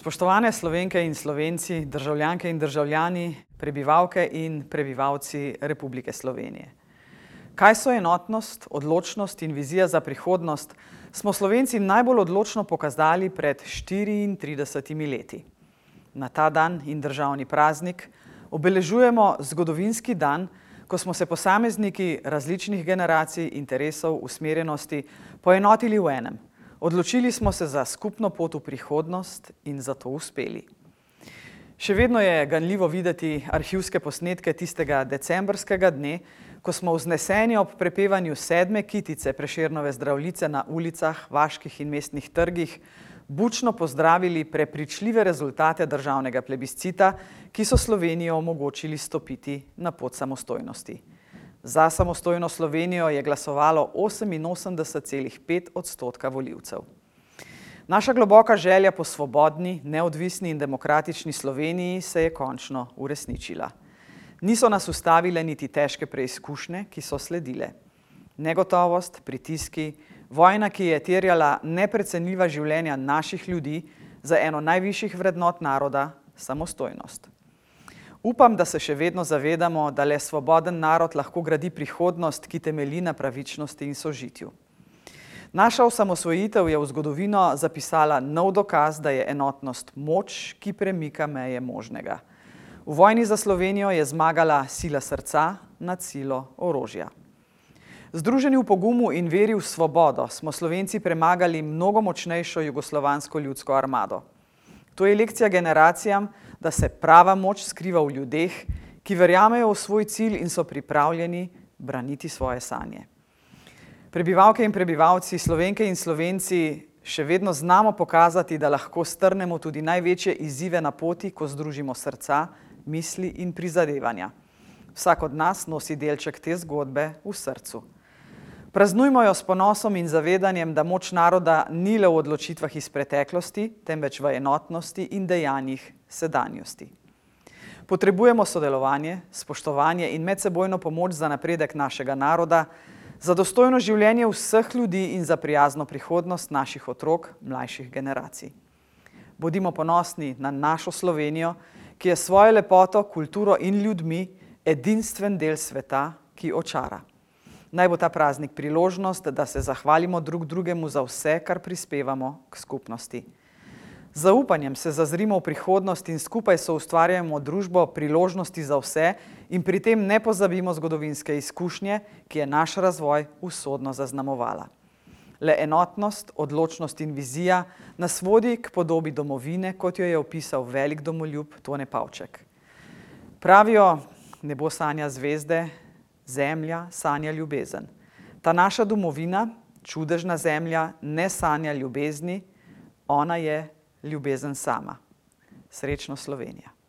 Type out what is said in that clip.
Spoštovane Slovenke in Slovenci, državljanke in državljani, prebivalke in prebivalci Republike Slovenije. Kaj so enotnost, odločnost in vizija za prihodnost, smo Slovenci najbolj odločno pokazali pred 34 leti. Na ta dan in državni praznik obeležujemo zgodovinski dan, ko smo se posamezniki različnih generacij, interesov, usmerjenosti poenotili v enem. Odločili smo se za skupno pot v prihodnost in za to uspeli. Še vedno je ganljivo videti arhivske posnetke tistega decembrskega dne, ko smo vzneseni ob prepevanju 7. kitice Prešernove Zdravljice na ulicah, vaških in mestnih trgih bučno pozdravili prepričljive rezultate državnega plebiscita, ki so Slovenijo omogočili stopiti na pot samostojnosti. Za samostojno Slovenijo je glasovalo 88,5% volivcev. Naša globoka želja po svobodni, neodvisni in demokratični Sloveniji se je končno uresničila. Niso nas ustavile niti težke preizkušnje, ki so sledile. Negotovost, pritiski, vojna, ki je terjala neprecenljiva življenja naših ljudi za eno najvišjih vrednot naroda, samostojnost. Upam, da se še vedno zavedamo, da le svoboden narod lahko gradi prihodnost, ki temelji na pravičnosti in sožitju. Naša osamosvojitev je v zgodovino zapisala nov dokaz, da je enotnost moč, ki premika meje možnega. V vojni za Slovenijo je zmagala sila srca nad silo orožja. Združeni v pogumu in veri v svobodo smo Slovenci premagali mnogo močnejšo jugoslovansko ljudsko armado. To je lekcija generacijam, da se prava moč skriva v ljudeh, ki verjamejo v svoj cilj in so pripravljeni braniti svoje sanje. Prebivalke in prebivalci, Slovenke in Slovenci, še vedno znamo pokazati, da lahko strnemo tudi največje izzive na poti, ko združimo srca, misli in prizadevanja. Vsak od nas nosi delček te zgodbe v srcu. Praznujmo jo s ponosom in zavedanjem, da moč naroda ni le v odločitvah iz preteklosti, temveč v enotnosti in dejanjih sedanjosti. Potrebujemo sodelovanje, spoštovanje in medsebojno pomoč za napredek našega naroda, za dostojno življenje vseh ljudi in za prijazno prihodnost naših otrok, mlajših generacij. Bodimo ponosni na našo Slovenijo, ki je s svojo lepoto, kulturo in ljudmi edinstven del sveta, ki očara. Naj bo ta praznik priložnost, da se zahvalimo drug drugemu za vse, kar prispevamo k skupnosti. Z zaupanjem se zazrimo v prihodnost in skupaj soustvarjamo družbo priložnosti za vse in pri tem ne pozabimo zgodovinske izkušnje, ki je naš razvoj usodno zaznamovala. Le enotnost, odločnost in vizija nas vodi k podobi domovine, kot jo je opisal velik domoljub Tone Pavček. Pravijo, nebo sanja zvezde, zemlja sanja ljubezen. Ta naša domovina, čudežna zemlja, ne sanja ljubezni, ona je ljubezen sama. Srečno Slovenija!